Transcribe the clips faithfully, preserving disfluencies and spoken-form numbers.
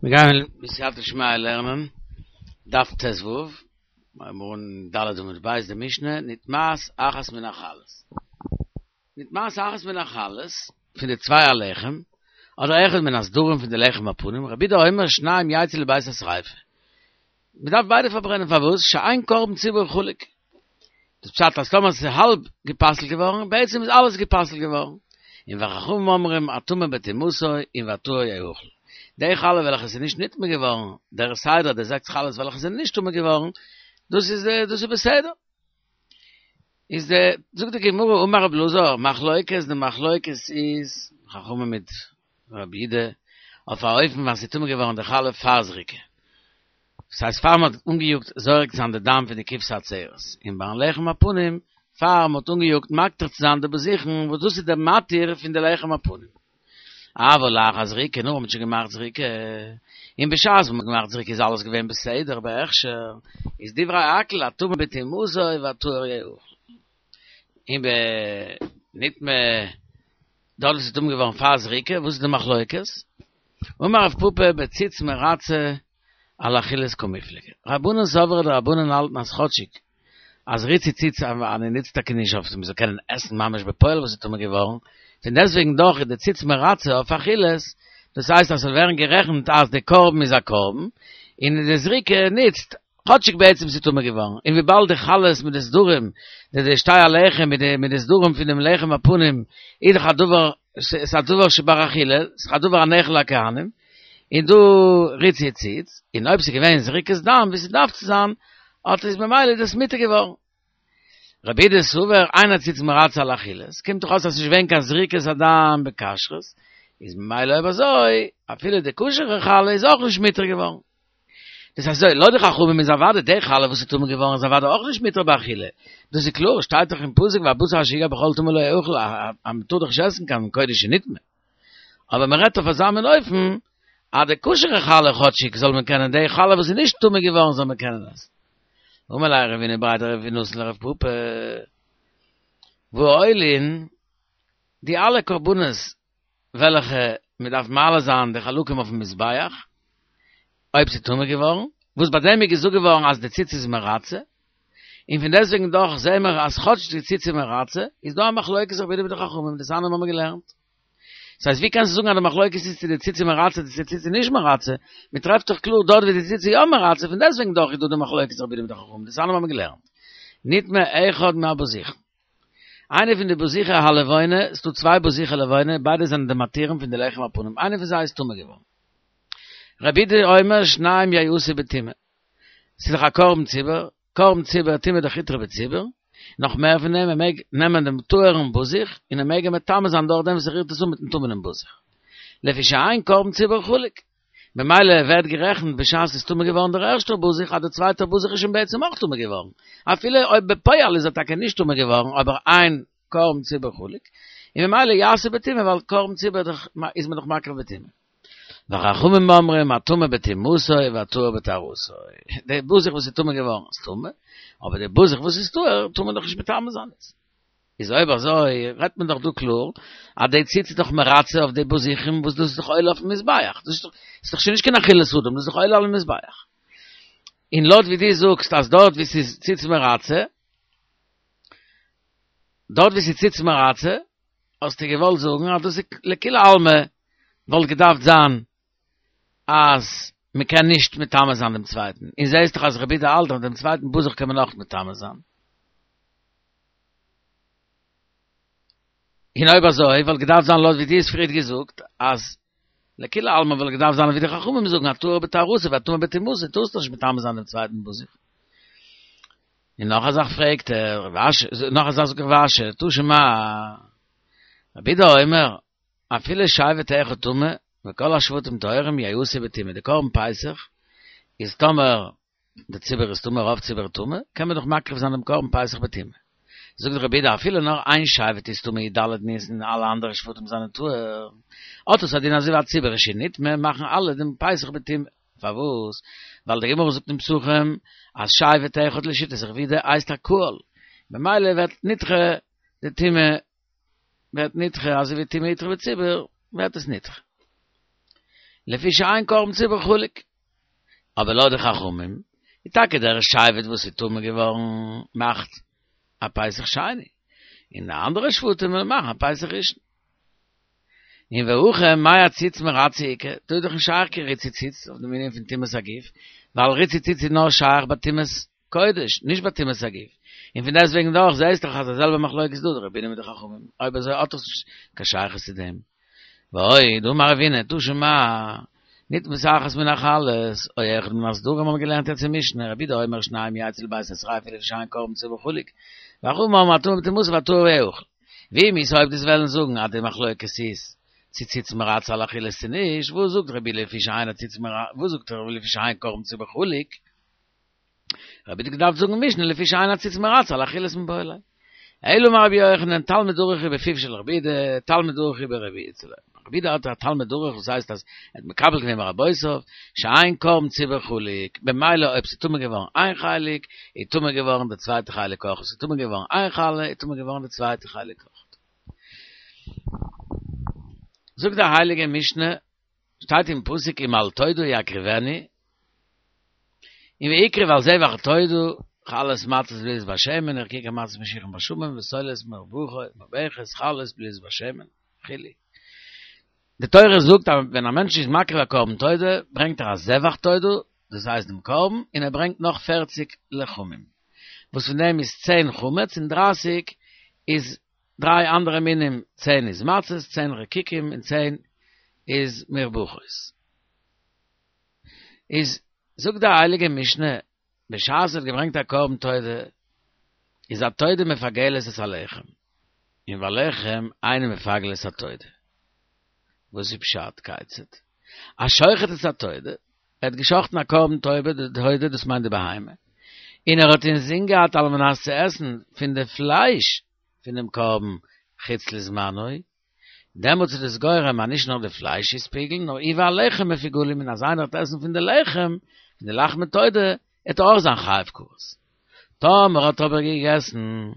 מיר גייען בסייעתא דשמיא לערנען דף ט"ו, מיר אן ד' עמוד ב' די משנה, נטמאת אחת מן החלות. נטמאת אחת מן החלות, פון די צוויי הלחם, אדער אחד מן הסדרים פון די לחם הפנים, רבי יהודה אומר שניים יצאו לבית השריפה. מען דארף ביידע פארברענען פארוואס? שאין קרבן ציבור חולק. דאס פשט אז טאמער ס'איז האלב גע'פסל'ט געווארן, בעצם איז אלעס גע'פסל'ט געווארן. און וחכמים אומרים הטמא בטומאתו און והטהור יאכל. די חלה וועלכע איז נישט נטמא געווארן, דער סדר די זעקס חלות וועלכע זענען נישט טמא געווארן, דאס איז דאס איז בסדר. איז די, זאגט די גמרא אמר רבי אלעזר, מחלוקת, די מחלוקת איז, חכמים מיט רבי יהודה, אויף א אופן ווען ס'איז טמא געווארן די חלה פאר זריקה. דאס הייסט פאר מ'האט אנגעיאגט זורק צו זיין די דם פון די כבשה עצרת, און ביים לחם הפנים פאר מ'האט אנגעיאגט מקטיר צו זיין די בזיכין וואס דאס איז דער מתיר פון די לחם הפנים. אבל לאחר זריקה, נאך מ'האט שוין געמאכט זריקה, און בשעת מ'האט געמאכט זריקה איז אלעס געווען בסדר בהכשר, איז דברי הכל הטמא בטומאתו והטהור יאכל. און בנטמא דארט וואס איז טמא געווארן פאר זריקה, וואס איז די מחלוקת? אמר רב פפא בציץ מרצה על אכילת קמיפלגי. רבנן סברי די רבנן האלטן אז כאטשיג אז ריצוי ציץ אני נוצט טאקע נישט אויף מ'זאל קענען עסן ממש בפועל וואס איז טמא געווארן, פון דעסטוועגן דאך איז די ציץ מרצה אויף אכילת, דאס הייסט אז ס'זאל ווערן גערעכנט אז די קרבן איז א קרבן, און די זריקה נוצט כאטשיג בעצם ס'איז טמא געווארן, און וויבאלד די חלות מיט די סדרים, די די שתי הלחם מיט די מיט די סדרים פון דעם לחם הפנים, איז דאך א דבר, ס'איז א דבר שבר אכילה, ס'איז א דבר הנאכל לכהנים, און דא ריצוי ציץ, און אויב ס'איז געווען זריקת דם ווי ס'דארף צו זיין, האט איז ממילא איז דאס מותר געווארן. רבי יהודה סבר אין הציץ מרצה על אכילה, ס'קומט דאך אויס אז ס'איז נישט געווען קיין זריקת הדם בכשרות, איז ממילא אויב אזוי, אפילו די כשר'ע חלה איז אויך נישט מותר געווארן. דאס הייסט אזוי, לויט די חכמים איז אוודאי די חלה וואס איז טמא געווארן איז אוודאי אויך נישט מותר באכילה, דאס איז קלאר, שטייט דאך אין פסוק והבשר אשר יגע בכל טמא לא יאכל אז מען טאר דאך נישט עסן קיין קודש שנטמא. אבער מען רעדט אויף אזא מין אופן אז די כשר'ע חלה כאטשיג זאל מען קענען, די חלה וואס איז נישט טמא געווארן זאל מען קענען עסן. אמר ליה רבינא בריה דרב נתן לרב פפא, והעולין, די אלע קרבנות וועלכע מען דארף מעלה זיין די חלקים אויפן מזבח, אויב ס'איז טמא געווארן, וואס ביי דעם איז געזאגט געווארן אז די ציץ איז מרצה, און פון דעסטוועגן דאך זעהן מיר אז כאטש די ציץ איז מרצה, איז דא א מחלוקת רבי יהודה מיט די חכמים, דתניא האבן מיר געלערנט. ס'הייסט ווי קענסטו זאגן אז די מחלוקת איז צו די ציץ איז מרצה צו די ציץ איז נישט מרצה, מען טרעפט דאך קלאר דארט ווי די ציץ איז יא מרצה, פון דעסטוועגן דאך איז דא די מחלוקת רבי יהודה מיט די חכמים, דתניא האבן מיר געלערנט. נטמא אחד מהבזיכין. איינע פון די בזיכי הלבונה, ס'דא צוויי בזיכי לבונה, ביידע זענען די מתירים פון די לחם הפנים, איינע פון זיי איז טמא געווארן. רבי יהודה אומר שניים יעשו בטומאה. ס'איז דאך א קרבן ציבור, קרבן ציבור טומאה דאך הותרה בציבור, נאך מער פון דעם, ער מעג נעמען דעם טהור'ן בזיך, און ער מעג אים מטמא זיין דורך דעם וואס ער רירט עס אן מיט'ן טמא'נעם בזיך. לפי שאין קרבן ציבור חלוק. ממילא ווערט גערעכנט בשעת ס'איז טמא געווארן דער ערשטער בזיך אז דער צווייטער בזיך איז שוין בעצם אויך טמא געווארן, אפילו אויב בפועל איז ער טאקע נישט טמא געווארן אבער אין קרבן ציבור חלוק, און ממילא יעשה בטומאה ווייל קרבן ציבור איז מען דאך מקריב בטומאה. וחכמים אומרים הטמא בטומאתו והטהור בטהרתו, די בזיך וואס איז טמא געווארן איז טמא, אבער די בזיך וואס איז טהור טאר מען דאך נישט מטמא זיין. איז אויב אזוי רעדט מען דאך דא קלאר אז די ציץ איז דאך מרצה אויף די בזיכים וואס דאס איז דאך עולה אויפן מזבח, דאס איז דאך שוין נישט קיין אכילת אדם, דאס איז דאך עולה על המזבח. און לויט ווי דו זאגסט אז דארט ווי ס'איז ציץ מרצה, דארט ווי ס'איז ציץ מרצה, האסטו געוואלט זאגן אז דאס איז לכולי עלמא וואלט געדארפט זיין אז מען קען נישט מטמא זיין דעם צווייטן, און זעהסט דאך אז רבי יהודה האלט אז דעם צווייטן בזיך קען מען אויך מטמא זיין. און אויב אזוי וואלט געדארפט זיין לויט ווי דו האסט פריערט געזאגט אז לכולי עלמא וואלט געדארפט זיין ווי די חכמים זאגן הטהור בטהרתו והטמא בטומאתו טארסט דאך נישט מטמא זיין דעם צווייטן בזיך. און נאך א זאך פרעגט ער, נאך א זאך זאגט רב אשי, תא שמע, רבי יהודה אומר, אפילו שבט אחד טמא וכל השבטים טהורים יעשו בטומאה, די קרבן פסח איז טאמער די ציבור איז טמא רוב ציבור טמא, קען מען דאך מקריב זיין דעם קרבן פסח בטומאה. זאגט רבי יהודה אפילו נאר איין שבט איז טמא י"ד ניסן און אלע אנדערע שבטים זענען טהור, האט עס א דין אזוי ווי א ציבור שנטמא מאכן אלע דעם פסח בטומאה. פארוואס? ווייל די גמרא זאגט אין פסחים אז שבט אחד לשיטת רבי יהודה הייסט א קהל, ממילא ווערט נדחה די טומאה ווערט נדחה אזוי ווי טומאה הותרה בציבור ווערט עס נדחה. לפי שאין קרבן ציבור חולק. אבער לויט די חכמים, איז טאקע דער שבט וואס איז טמא געווארן מאכט א פסח שני. און די אנדערע שבטים וועלן מאכן א פסח ראשון. און והכא מאי עציץ מרצה איכא, דא איז דאך נישט שייך קיין ריצוי ציץ אויף דעם ענין פון טומאת הגוף, ווייל ריצוי ציץ איז נאר שייך ביי טומאת קודש, נישט ביי טומאת הגוף. און פון דעסטוועגן דאך זעהסט דאך אז די זעלבע מחלוקת איז דא, די רבי יהודה מיט די חכמים, אויב אזוי האט דאס נישט קיין שייכות צו דעם. ועוד, דאמר רבינא, תא שמע, נטמאת אחת מן החלות, או אחד מן הסדרים האבן מיר געלערנט יעצט אין משנה, רבי יהודה אומר שנים יצאו לבית השריפה לפי שאין קרבן ציבור חלוק, וחכמים אומרים הטמא בטומאתו והטהור יאכל. ואם איתא אויב דו'סט וועלן זאגן אז די מחלוקת איז צו ציץ מרצה על אכילה צו נישט, וואס זאגט רבי יהודה לפי שאין הציץ מרצה, וואס זאגט רבי לפי שאין קרבן ציבור חלוק? רבי יהודה האט געדארפט זאגן משנה לפי שאין הציץ מרצה על אכילת מיבעי ליה. אלא אמר רבי יוחנן תלמיד דרוך הוא בפיו של רבי יהודה, תלמיד דרוך הוא ברבי יהודה. רבי יהודה האט א תלמיד דרוך וואס הייסט אז ער האט מקבל געווען מרבותיו שאין קרבן ציבור חלוק, במילא אויב ס'איז טמא געווארן איין חלק, איז טמא געווארן די צווייטע חלק אויך, אויב ס'איז טמא געווארן איין חלה, איז טמא געווארן די צווייטע חלק אויך. זאגט די הייליגע משנה, שטייט אין פסוק אם על תודה יקריבנו, און והקריב על זבח התודה, חלות מצות בלולות בשמן, ורקיקי מצות משוחים בשמן, וסולת מרובחת, חלות בלולות בשמן, וכו'. די תורה זאגט אז ווען א מענטש איז מקריב א קרבן תודה, ברענגט ער א זבח תודה, דאס הייסט דעם קרבן, און ער ברענגט נאך פערציג לחמים, וואס פון דעם איז צען חמץ און דרייסיג איז דריי אנדערע מינים, צען איז מצות, צען רקיקים און צען איז מרובחות. איז זאגט די הייליגע משנה, בשעת ער האט געברענגט א קרבן תודה, איז התודה מפגלת את הלחם, און והלחם אינו מפגל את התודה. וואס איז פשט? כיצד? השוחט את התודה, ער האט געשחטן א קרבן תודה, דאס מיינט די בהמה, און ער האט אינזין געהאט על מנת צו עסן פון די פלייש פונעם קרבן חוץ לזמנו, דעמאלטס איז דאס גורם אז נישט נאר די פלייש איז פיגול, נאר הוא והלחם מפוגלים, און אז איינער וועט עסן פון די לחם, פון די לחמי תודה, וועט ער אויך זיין חייב כרת. טאמער האט ער אבער געגעסן,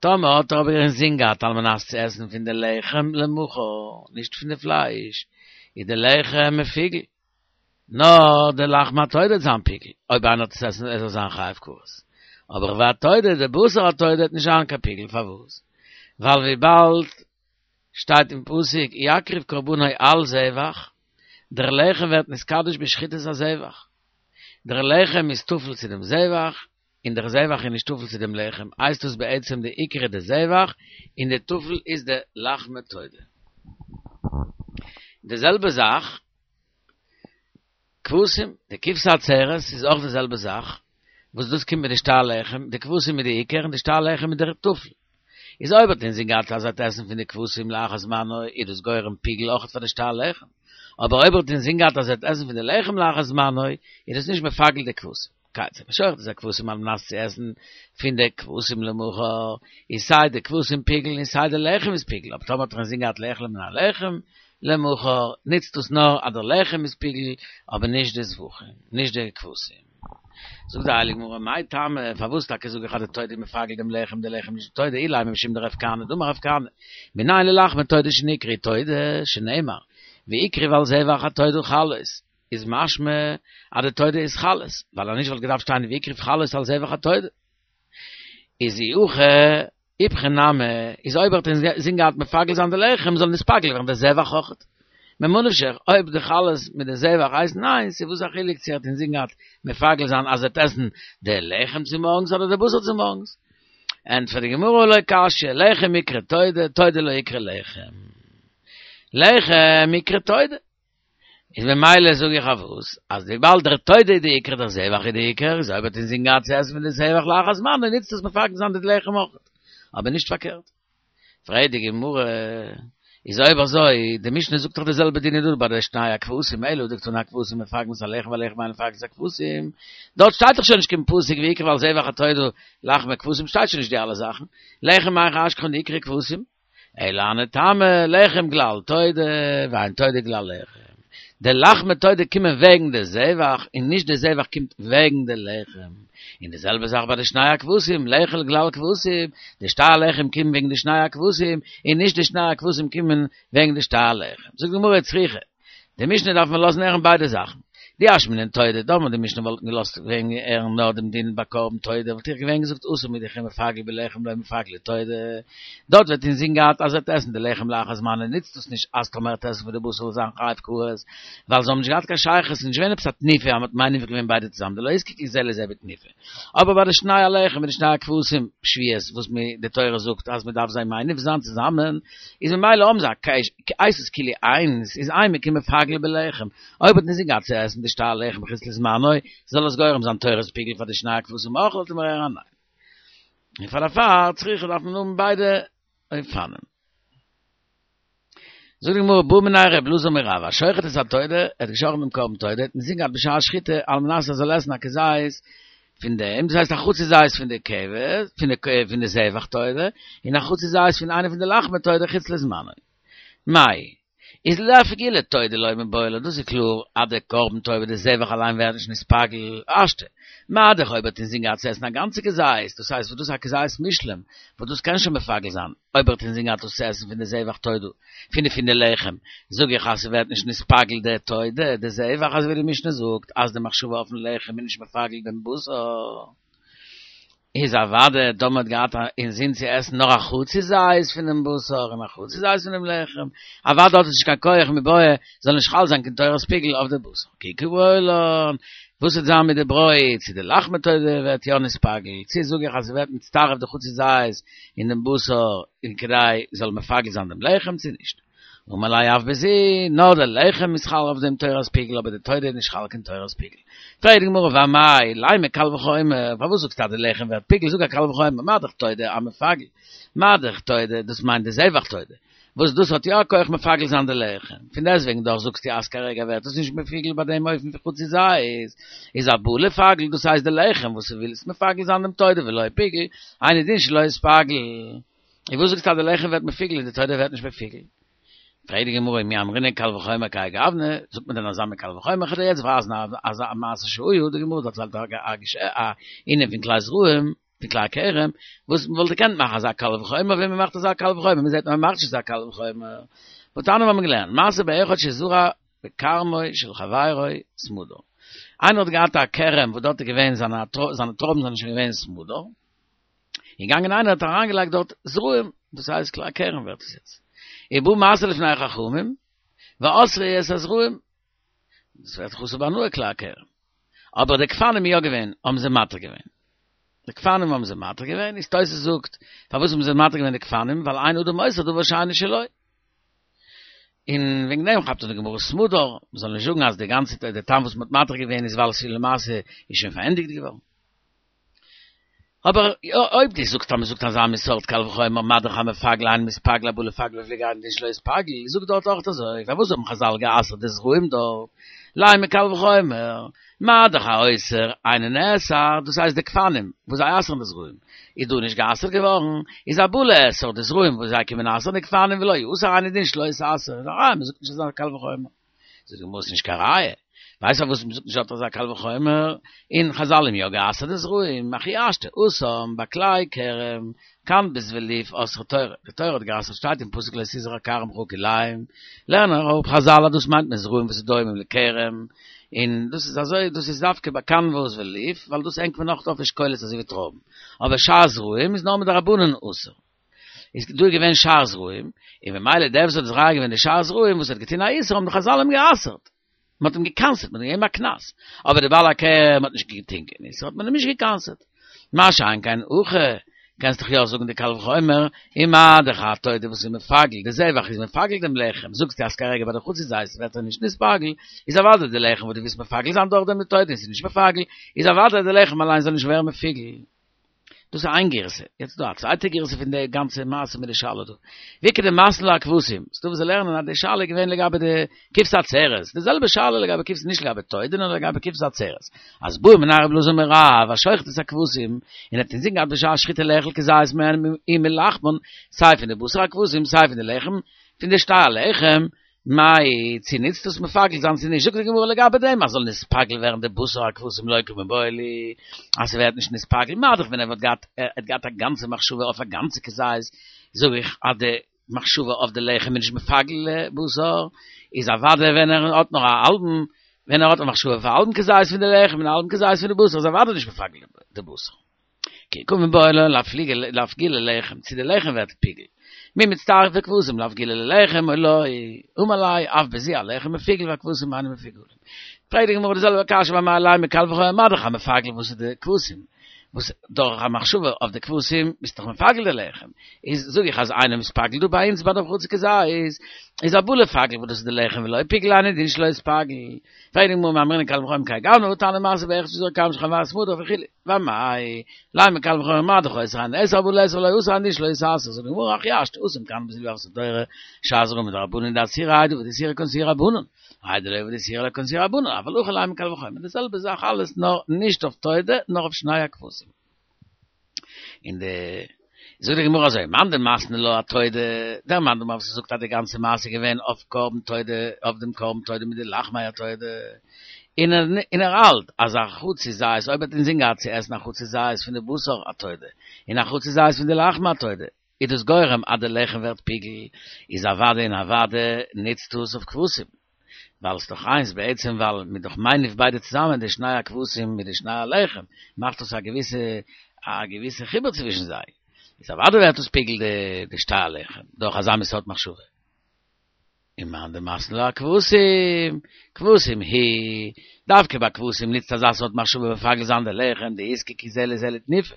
טאמער האט ער אבער אינזין געהאט על מנת צו עסן פון די לחם למחר, נישט פון די פלייש, איז די לחם מפוגל, נאר די לחמי התודה וועט זיין פיגול, אויב איינער וועט עס עסן וועט ער זיין חייב כרת. אבער והתודה, די בשר התודה וועט נישט זיין קיין פיגול, פארוואס? ווייל וויבאלד שטייט אין פסוק יקריב קרבנו על זבח, דער לחם ווערט נתקדש בשחיטת הזבח, דער לחם איז טפל צו דעם זבח, און דער זבח איז נישט טפל צו דעם לחם, הייסט דאס בעצם די עיקר איז די זבח, און די טפל איז די לחמי תודה. די זעלבע זאך כבשים, די כבשה עצרת איז אויך די זעלבע זאך, וואס דאס קומט מיט די שתי הלחם, די כבשים איז די עיקר און די שתי הלחם איז דער טפל. איז אויב האט אינזין געהאט אז ער וועט עסן פון די כבשים לאחר זמנו איז דאס גורם פיגול אויך פאר די שתי הלחם, אבער אויב האט אינזין געהאט אז ער וועט עסן פון די לחם לאחר זמנו איז דאס נישט מפגל די כבשים. כיצד, השוחט את הכבשים על מנת צו עסן פון די כבשים למחר, איז סיי די כבשים פיגול און סיי די לחם איז פיגול, אבער טאמער האט ער אינזין געהאט לאכול מן הלחם למחר, נוצט דאס נאר אז דער לחם איז פיגול, אבער נישט די זבחים, נישט די כבשים. זאגט די הייליגע גמרא, מאי טעמא, פארוואס טאקע זאג איך אז די תודה איז מפגל דעם לחם, די לחם נישט די תודה, אילימא משום דרב כהנא, דאמר רב כהנא, מנין ללחמי תודה שנקראו תודה, שנאמר, והקריב על זבח התודה חלות, איז משמע אז די תודה איז חלות, ווייל אז נישט וואלט געדארפט שטיין והקריב חלות על זבח התודה. איז אי הכי איפכא נמי, איז אויב ער האט אינזין געהאט מפגל זיין די לחם זאל נתפגל ווערן די זבח אויכעט. ממה נפשך, אויב די חלות מיט די זבח הייסן איינס, איז וואס א חילוק צו ער האט אינזין געהאט מפגל זיין אז ער וועט עסן די לחם צומארגנס אדער די בשר צומארגנס. ענטפערט די גמרא לא קשיא, לחם איקרי תודה, תודה לא איקרי לחם. לחם איקרי תודה. איז ממילא זאג איך אויף וואס, אז וויבאלד דער תודה איז די עיקר דער זבח איז די עיקר, איז אויב האט אינזין געהאט צו עסן פון די זבח לאחר זמנו נוצט עס מפגל זיין די לחם אויך, אבער נישט פארקערט. פרעגט די גמרא, איז אויב אזוי, די משנה זאגט דאך די זעלבע דין איז דא ביי די שני הכבשים, אלא הא דקתני הכבשים מפגלין את הלחם והלחם אין מפגל את הכבשים, דארט שטייט דאך שוין נישט קיין פסוק והקריב על זבח התודה לחמי כבשים שטייט שוין נישט די אלע זאכן, לחם מהיכא אשכחן דאיקרי כבשים. אלא הני טעמא, לחם גלל תודה, ואין תודה גלל לחם. די לחמי תודה קומען וועגן די זבח, און נישט די זבח קומט וועגן די לחם. און די זעלבע זאך ביי די שני הכבשים, לחם גלל כבשים, די שתי הלחם קומען וועגן די שני הכבשים, און נישט די שני הכבשים קומען וועגן די שתי הלחם. זאגט די גמרא צריכא, די משנה דארף מען לאזן הערן ביידע זאכן. דאי אשמעינן תודה, טאמער די משנה וואלט געלאזט וועגן הערן נאר דעם דין ביי קרבן תודה, וואלט איך געווען געזאגט התם הוא דכי מפגל בלחם לא מפגלא תודה. דארט ווערט אין זין געהאט אז ער וועט עסן די לחם לאחר זמנו, ניצט דאס נישט אז טאמער ער וועט עסן פון די בשר זאל זיין חייב כרת, ווייל זיי האבן נישט געהאט קיין שייכות, ס'איז נישט געווען עפעס א תנופה אז מ'האט מניף געווען ביידע צוזאמען, דלא איזדקקו זה לזה בתנופה. אבער ביי די שני הלחם און די שני הכבשים שבועות וואס מ די תורה זאגט אז מ'דארף זיי מניף זיין צוזאמען, איז ממילא האבן זיי א הייסט עס כאילו איינס, איז אימא כי מפגל בלחם, אויב האט אין זין געהאט צו עסן די שתי הלחם חוץ לזמנו, זאל עס גורם זיין תורת פיגול פאר די שני הכבשים אויך וואלט מיר הערן א ניין. און פאר דערפאר צריכא דארף מען האבן ביידע אופנים. זאגט די גמרא בעא מיניה ר' אלעזר מרב השוחט את התודה, ער האט געשאכטן דעם קרבן תודה, האט אין זין געהאט בשעת שחיטה על מנת ער זאל עסן א כזית פון דעם, דאס הייסט א חצי זית פון די כבש, פון די פון די זבח תודה, און א חצי זית פון איינע פון די לחמי תודה חוץ לזמנו. מאי. איז לאפגולי תודה לא מיבעיא ליה, דאס איז קלאר אז די קרבן תודה די זבח אליין ווערט נישט נתפגל, השתא, מה דאך אויב ער האט אינזין געהאט צו עסן א גאנצע כזית, דאס הייסט וואס דאס איז א כזית מושלם, וואס דאס קען שוין מפגל זיין, אויב ער האט אינזין געהאט דאס צו עסן פון די זבח תודה, פון די פון די לחם, זאג איך אז ס'ווערט נישט נתפגל די תודה, די זבח, אזוי ווי די משנה זאגט אז די מחשבה אויפן לחם איז נישט מפגל דעם בשר. איז אוודאי טאמער האט געהאט אינזין צו עסן נאר א חצי זית פונעם בשר און א חצי זית פונעם לחם, אוודאי האט עס נישט קיין כח מיבעיא זאל נישט חל זיין קיין תורת פיגול אויף די בשר. כי קא בעי לן, וואס וועט זיין מיט די ברויט, צו די לחמי תודה ווערט יא נתפגל, צו זאג איך אז ס'ווערט מצטרף די חצי זית אין דעם בשר און כדי זאל מפגל זיין דעם לחם צו נישט. אמר ליה אף בזו, נאר די לחם איז חל אויף דעם תורת פיגול אבער די תודה איז נישט חל קיין תורת פיגול. פרעגט די גמרא ואמאי לימא קל וחומר, פארוואס זאגסטו אז די לחם ווערט פיגול, זאג א קל וחומר, מה דאך תודה אמפגל, מה דאך תודה, דאס מיינט די זבח תודה, וואס דאס האט יא א כח מפגל זיין די לחם, פון דעסטוועגן דאך זאגסטו אז כרגע ווערט עס נישט מפוגל ביי דעם אופן פון חצי זית, איז הבא לפגל, דאס הייסט די לחם וואס ווילסט מפגל זיין דעם תודה ולא פיגול, אינו דין שלא יתפגל. און וואס זאגסטו אז די לחם ווערט מפוגל און די תודה ווערט נישט מפוגל? פרעגט די גמרא ומי אמרינן קל וחומר כהאי גוונא, זאגט מען דען אזא מין קל וחומר? כ'וועל דיר יעצט ווייזן אזא מעשה שהיה, די גמרא דערציילט א ענין פון כלאי זרעים, פון כלאי הכרם, וואס מען וואלט געקענט מאכן אזא קל וחומר, ווען מען מאכט אזא קל וחומר, מען זעט אז מען מאכט נישט אזא קל וחומר. והתניא מיר האבן געלערנט, מעשה באחד שזרע בכרמו של חברו סמדר. איינער האט געהאט א כרם וואס דארט איז געווען זיינע טרויבן זענען שוין געווען סמדר, געגאנגען איינער האט אריינגעלייגט דארט זרעים, דאס הייסט כלאי הכרם ווערט עס יעצט. ובא משא לפני חכמים, ואסרו את הזרעים, דאס ווערט דאך אסור בהנאה כלאי הכרם. אבער די גפנים איז יא געווען, האבן זיי מתיר געווען. די גפנים האבן זיי מתיר געווען, איז תוס' זאגט, פארוואס האבן זיי מתיר געווען די גפנים, ווייל אין אדם אוסר דבר שאינו שלו. און וועגן דעם כאפט אן די גמרא סמדר, מ'זאל נישט זאגן אז די גאנצע די טעם וואס מ'האט מתיר געווען איז ווייל עס איז למעשה איז שוין פארענדיגט געווארן. אבער אויב דו זאגסט אז מ'זאגט אזא מין סארט קל וחומר מה דאך המפגל אינו מתפגל הבא לפגל בפיגול אינו דין שלא יתפגל, זאג דארט אויך אזוי, פארוואס האבן חזל גע'אסר'ט די זרעים דארט? לימא קל וחומר, מה דאך האוסר אינו נאסר, דאס הייסט די גפנים וואס זיי אסר'ן די זרעים איז דא נישט גע'אסר'ט געווארן, איז הבא לאסור די זרעים וואס זיי קומען אסר'ן די גפנים ולא יאסר אינו דין שלא יתאסר, איז א ראיה מ'זאגט נישט אזא קל וחומר. זאגט די גמרא ס'נישט קיין ראיה, ווייסט פארוואס מ'זאגט נישט דארט אזא קל וחומר, און חזל האבן יא גע'אסר'ט די זרעים, הכי השתא התם בכלאי כרם, קנבוס וליף אסרה תורה, די תורה האט גע'אסר'ט שטייט אין פסוק לא תזרע כרמך כלאים, לערנען אראפ חזל אז דאס מיינט מען זרעים וואס איז דומים לכרם, און דאס איז אזוי דאס איז דווקא ביי קנבוס וליף, ווייל דאס הענגט מען נאך אויף אשכולות אזוי ווי טרויבן, אבער שאר זרעים איז נאר מדרבנן אסור. איז דא געווען שאר זרעים, און ממילא דער וואס האט זורע געווען די שאר זרעים וואס האט געטון א איסור האבן די חזל אים גע'אסר'ט, מען האט אים גע'קנס'ט, מען האט אים געגעבן א קנס, אבער די בעל הכרם האט נישט געטון קיין איסור האט מען אים נישט גע'קנס'ט. מה שאין כן הכא, קענסט דאך יא זאגן די קל וחומר, ומה דאך התודה וואס איז מפגל, די זבח איז מפגל דעם לחם, זאגסטו אז כרגע ביי די חצי זית ווערט ער נישט נתפגל, איז אוודאי די לחם וואס דו ווילסט מפגל זיין דורך דעם די תודה איז נישט מפגל, איז אוודאי די לחם אליין זאל נישט ווערן מפוגל. דאס איז איין גירסא, יעצט איז דא א צווייטע גירסא פון די גאנצע מעשה מיט די שאלה דא. ואיכא דמתני לה אכבשים, ס'דא וואס לערנען אז די שאלה איז געווען לגבי די כבשי עצרת, די זעלבע שאלה לגבי כבש נישט לגבי תודה נאר לגבי כבשי עצרת. אז בעא מיניה רבי אלעזר מרב השוחט את הכבשים, און האט אינזין געהאט בשעת שחיטה לאכול כזית מהן ומלחמן, סיי פון די בשר הכבשים סיי פון די לחם פון די שתי הלחם, מאי, צו ניצט דאס מפגל זיין צו נישט, זאגט די גמרא לגבי דעם אז זאל נתפגל ווערן די בשר הכבשים לא קא מיבעיא לי, אז ס'ווערט נישט נתפגל, מה דאך ווען ער וואלט געהאט, ער האט געהאט א גאנצע מחשבה אויף א גאנצע כזית, זאג איך אז די מחשבה אויף די לחם נישט מפגל בשר, איז אוודאי ווען ער האט נאר א האלבן, ווען ער האט א מחשבה אויף א האלבן כזית פון די לחם און א האלבן כזית פון די בשר, איז אוודאי נישט מפגל די בשר. כי קא מיבעיא לן לאפגולי לחם, צו די לחם ווערט פיגול. מי מצטרף כבשים לאפגולי לחם או לא, אמר ליה אף בזו הלחם מפוגל והכבשים אינם מפוגלים. פרעגט די גמרא די זעלבע קשיא ואמאי לימא קל וחומר מה דאך המפגל וואס איז די כבשים וואס דורך א מחשבה אויף די כבשים ביסט דאך מפגל די לחם איז זאג איך אז אינו מתפגל דא ביי אונז ביי דעם חצי כזית איז הא בא לפגל וואס דאס איז די לחם ולא פיגול היינו דין שלא יתפגל פרעגט די גמרא מי אמרינן קל וחומר כהאי גוונא והא תניא מעשה באחד שזרק כמה של חמור סמדר וכו' ואמאי לימא קל וחומר מה דאך אוסר היינו נאסר הא בא לאסור ולא אסר היינו דין שלא יתאסר זאגט די גמרא הכי השתא התם כהני בזיל ואפס דורא שאזרא מדרבנן דאסירא האי דעבד איסורא קנסוהו רבנן האי דלא עבד איסורא לא קנסוהו רבנן אבל הכא לימא קל וחומר די זעלבע זאך אלעס נאר נישט אויף תודה נאר אויף שני הכבשים אין די זאגט די גמרא אזוי מאן דמתני לה אתודה דער מאן דאמר וואס זאגט אז די גאנצע מעשה איז געווען אויף קרבן תודה אויף דעם קרבן תודה מיט די לחמי התודה און ער און ער האלט אז א חצי זית אויב האט אינזין געהאט צו עסן א חצי זית פון די בשר התודה און א חצי זית פון די לחמי התודה איז דאס גורם אז די לחם ווערט פיגול איז אוודאי און אוודאי נוצט דאס אויף כבשים ווייל ס'איז דאך איינס בעצם ווייל מ'איז דאך מניף ביידע צוזאמען די שני הכבשים מיט די שני הלחם מאכט דאס א געוויסע א געוויסע חיבור צווישן זיי איז אוודאי ווערט דאס פיגול די די שתי הלחם דורך אזא מין סארט מחשבה. און מאן דמתני לה אכבשים, כבשים היא, דווקא ביי כבשים נוצט אזא סארט מחשבה מפגל זיין די לחם, דאיזקקו זה לזה לתנופה,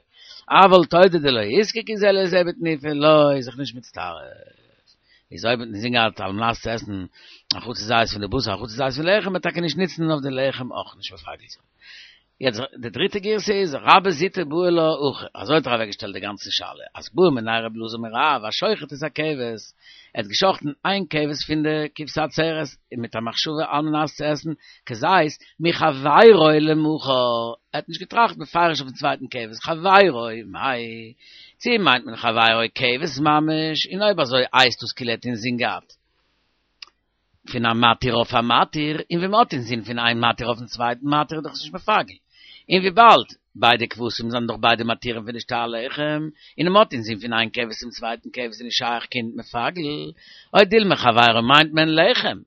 אבל תודה דלא איזקקו זה לזה בתנופה לא איז זיך נישט מצטרף. איז אויב האט אינזין געהאט על מנת צו עסן א חצי זית פון די בשר א חצי זית פון לחם וועט טאקע נישט נוצן אויף די לחם אויך נישט מפגל זיין. יעצט די דריטע גירסא איז רבה זוטא בעי לה הכי, אזוי האט ער אוועק געשטעלט די גאנצע שאלה, אז בעא מיניה רבי אלעזר מרב השוחט את הכבש, ער האט געשחטן איין כבש פון די כבשי עצרת מיט א מחשבה על מנת צו עסן כזית מחבירו למחר, ער האט נישט געטראכט בפירוש אויפן צווייטן כבש, חברו מאי, צו מיינט מען חברו כבש ממש, און אויב אזוי הייסט דאס כאילו ער האט אינזין געהאט פון א מתיר אויף א מתיר, און ווען מ'האט אינזין פון איין מתיר אויפן צווייטן מתיר איז דאך עס נישט מפגל, און וויבאלד ביידע כבשים זענען דאך ביידע מתירים פון די שתי הלחם, און מ'האט אינזין פון איין כבש צום צווייטן כבש איז נישט שייך קיין מפגל, או דילמא חברו מיינט מען לחם. ער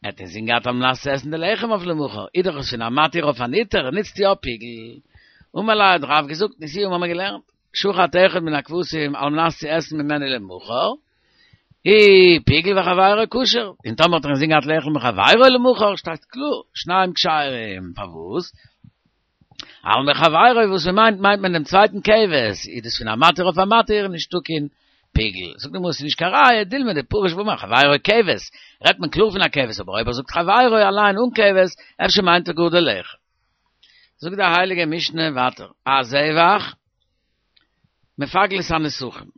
האט אינזין געהאט על מנת צו עסן די לחם אויף למחר, איז דאך עס פון א מתיר אויף אן היתר, נוצט יא פיגול. אמר ליה האט רב געזאגט, נשיאה האבן מיר געלערנט, שחט אחד מן הכבשים על מנת צו עסן ממנו למחר, הוא פיגול וחבירו כשר, און טאמער האט ער אינזין געהאט לאכול מחבירו למחר, שטייט קלאר, שניים כשרים, פארוואס? אלמא חברו וואס מען מיינט מיינט מען דעם צווייטן כבש, איז דאס פון א מתיר אויף א מתיר, נישטא קיין פיגול. זאגט די גמרא ס'איז נישט קיין ראיה, דילמא דפריש ואמר חברו כבש, רעדט מען קלאר פון א כבש, אבער אויב ער זאגט חברו אליין אן כבש, אפשר מיינט ער גאר די לחם. זאגט די הייליגע משנה ווייטער, הזבח מפגל את הנסכים.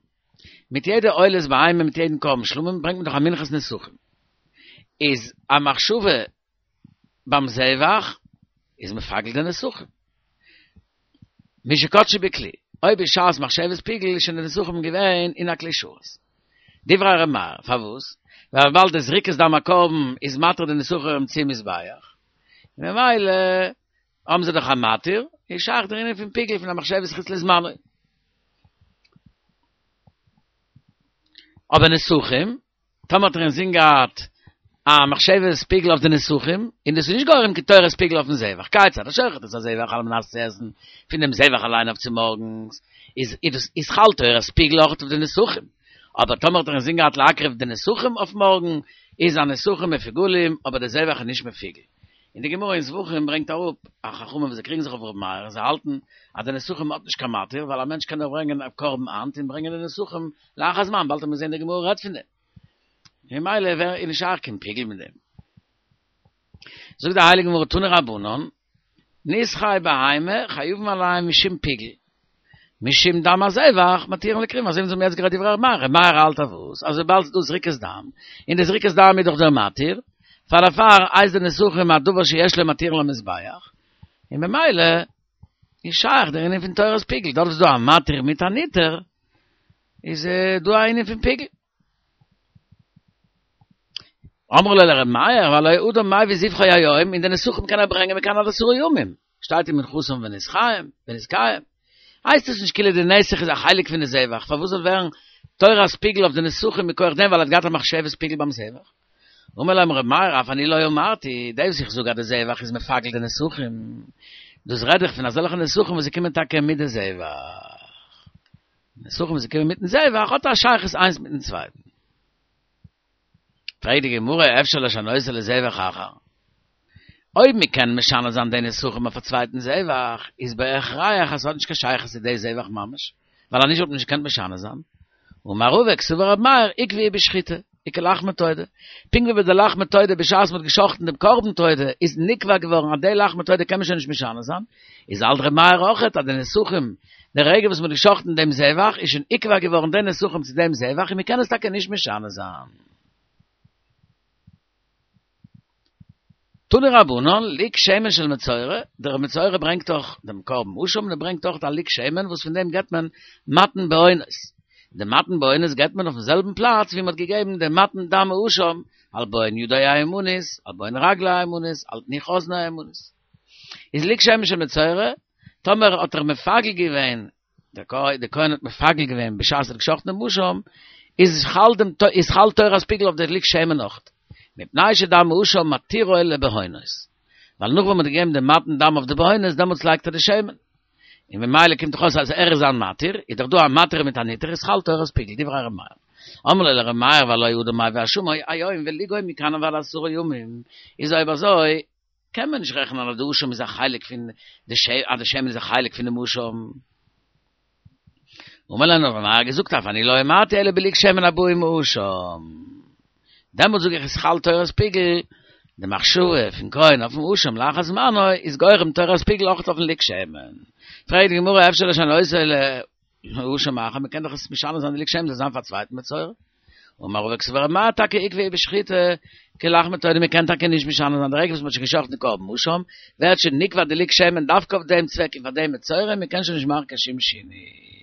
מיט יעדע עולת בהמה מיט יעדן קרבן שלמים ברענגט מען דאך א מנחת נסכים. איז א מחשבה ביים זבח איז מפגל די נסכים. משקדשו בכלי, אויב בשעת מחשבת פיגול איז שוין די נסכים געווען אין א כלי שרת. דברי ר' מאיר, פארוואס? ווייל וויבאלד די זריקת דם הקרבן איז מתיר די נסכים צום מזבח, ממילא האבן זיי דאך א מתיר, איז שייך דער ענין פון פיגול פון א מחשבת חוץ לזמנו. אבער נסכים, טאמער האט ער אינזין געהאט א מחשבת פיגול אויף די נסכים, און דאס איז נישט גורם קיין תורת פיגול אויפן זבח, כיצד השוחט את הזבח על מנת צו עסן פון דעם זבח אליין אויף צומארגנס, איז איז איז חל תורת פיגול אויך אויף די נסכים, אבער טאמער האט ער אינזין געהאט להקריב די נסכים אויף מארגן, איז הנסכים מפוגלים, אבער די זבח איז נישט מפוגל. און די גמרא אין זבחים ברענגט אראפ א חכמים וואס זיי קריגן זיך אויף ר' מאיר און זיי האלטן אז די נסכים האט נישט קיין מתיר ווייל א מענטש קען דאך ברענגען א קרבן היינט און ברענגען די נסכים לאחר זמן באלד וועט מען זען די גמרא רעדט פון דעם ממילא ווער איז נישט שייך קיין פיגול מיט דעם. זאגט די הייליגע גמרא תנו רבנן נסכי בהמה חייבין עליהם משום פיגול משום דם הזבח מתירין לכרובים אזוי ווי אונז האבן יעצט גערעדט דברי ר' מאיר, ר' מאיר האלט אז וואס אז וויבאלד ס'איז דא זריקת דם און די זריקת דם איז דאך דער מתיר פאר דערפאר הייסט די נסכים א דבר שיש לו מתירין למזבח און ממילא איז שייך דער ענין פון תורת פיגול דארט וואס איז דא א מתיר מיט אן היתר איז דא א ענין פון פיגול. אמרו לו לר' מאיר, והלא אדם מביא זבחו היום, און די נסכים קען ער ברענגען מכאן עד עשרה ימים, שטייט ומנחתם ונסכיהם, ונסכיהם. הייסט עס נישט כאילו די נסך איז א חלק פון די זבח, פארוואס זאל ווערן תורת פיגל אויף די נסכים מכוח דעם, ווייל ער האט געהאט א מחשבת פיגול ביים זבח. אמר להם ר' מאיר, אף אני לא אמרתי, דאס וואס איך זאג אז די זבח איז מפגל די נסכים, דאס רעד איך פון אזעלכע נסכים וואס זיי קומען טאקע מיט די זבח. נסכים וואס זיי קומען מיטן זבח האט א שייכות איינס מיטן צווייטן. פרעגט די גמרא, אפשר לשנותו לזבח אחר? אויב מען קען משנה זיין די נסכים אויף א צווייטן זבח, איז בהכרח אז ס'האט נישט קיין שייכות צו די זבח ממש, ווייל אנישט וואלט מען נישט געקענט משנה זיין. אמר רבא קסבר רבי מאיר, עקביה בשחיטה, וכלחמי תודה. פונקט ווי ביי די לחמי תודה בשעת מ'האט געשחט'ן דעם קרבן תודה איז נקבע געווארן אז די לחמי תודה קען מען שוין נישט משנה זיין, איז האלט רבי מאיר אויכעט אז די נסכים די רגע וואס מ'האט געשחט'ן דעם זבח איז שוין נקבע געווארן די נסכים צו דעם זבח און מ'קען עס טאקע נישט משנה זיין. תנו רבנן, לוג שמן של מצורע, דער מצורע ברענגט דאך דעם קרבן אשם און ער ברענגט אויך א לוג שמן וואס פון דעם געבט מען מתן בהונות. די מתן בהונות געבט מען אויפן זעלבן פלאץ ווי מען האט געגעבן די מתן דם האשם, על בוהן ידו הימנית, על בוהן רגלו הימנית, על תנוך אזנו הימנית. איז לוג שמן של מצורע, טאמער האט ער מפגל געווען, דער כהן האט מפגל געווען בשעת ער האט געשחט'ן דעם אשם, איז חל דעם איז חל תורת פיגול אויף די לוג שמן אויך, מפני שדם האשם מתירו לבהונות, ווייל נאך ווען מ'האט געגעבן דעם מתן דם אויף די בהונות דעמאלטס לייגט ער די שמן, און ממילא קומט דאך אויס אז ער איז א מתיר, איז דאך דא א מתיר מיט א נתיר איז חל תורת פיגול, דברי ר' מאיר. אמרו לו לר' מאיר והלא אדם מביא אשמו היום ולוגו מכאן ועד עשרה ימים, איז אויב אזוי קען מען נישט רעכענען אז די אשם איז א חלק פון די ש אז די שמן איז א חלק פון דעם אשם. אמר להם ר' מאיר געזאגט אף אני לא אמרתי אלא בלוג שמן הבא עם האשם. דעמאלט זאג איך איז חל תורת פיגול, די מחשבה פון כהן אויפן אשם לאחר זמנו איז גורם תורת פיגול אויך אויפן לוג שמן. פרעגט די גמרא אפשר לשנותו לאשם אחר, מ'קען דאך עס משנה זיין די לוג שמן זאל זיין פאר א צווייטן מצורע. אמר רבא קסבר ר' מאיר טאקע עקביה בשחיטה כלחמי תודה מ'קען טאקע נישט משנה זיין די רגע וואס מ'האט שוין געשחט'ן די קרבן אשם ווערט שוין נקבע די לוג שמן דווקא אויף דעם צוועק און פאר דעם מצורע מ'קען שוין נישט מאכן קיין שום שינוי.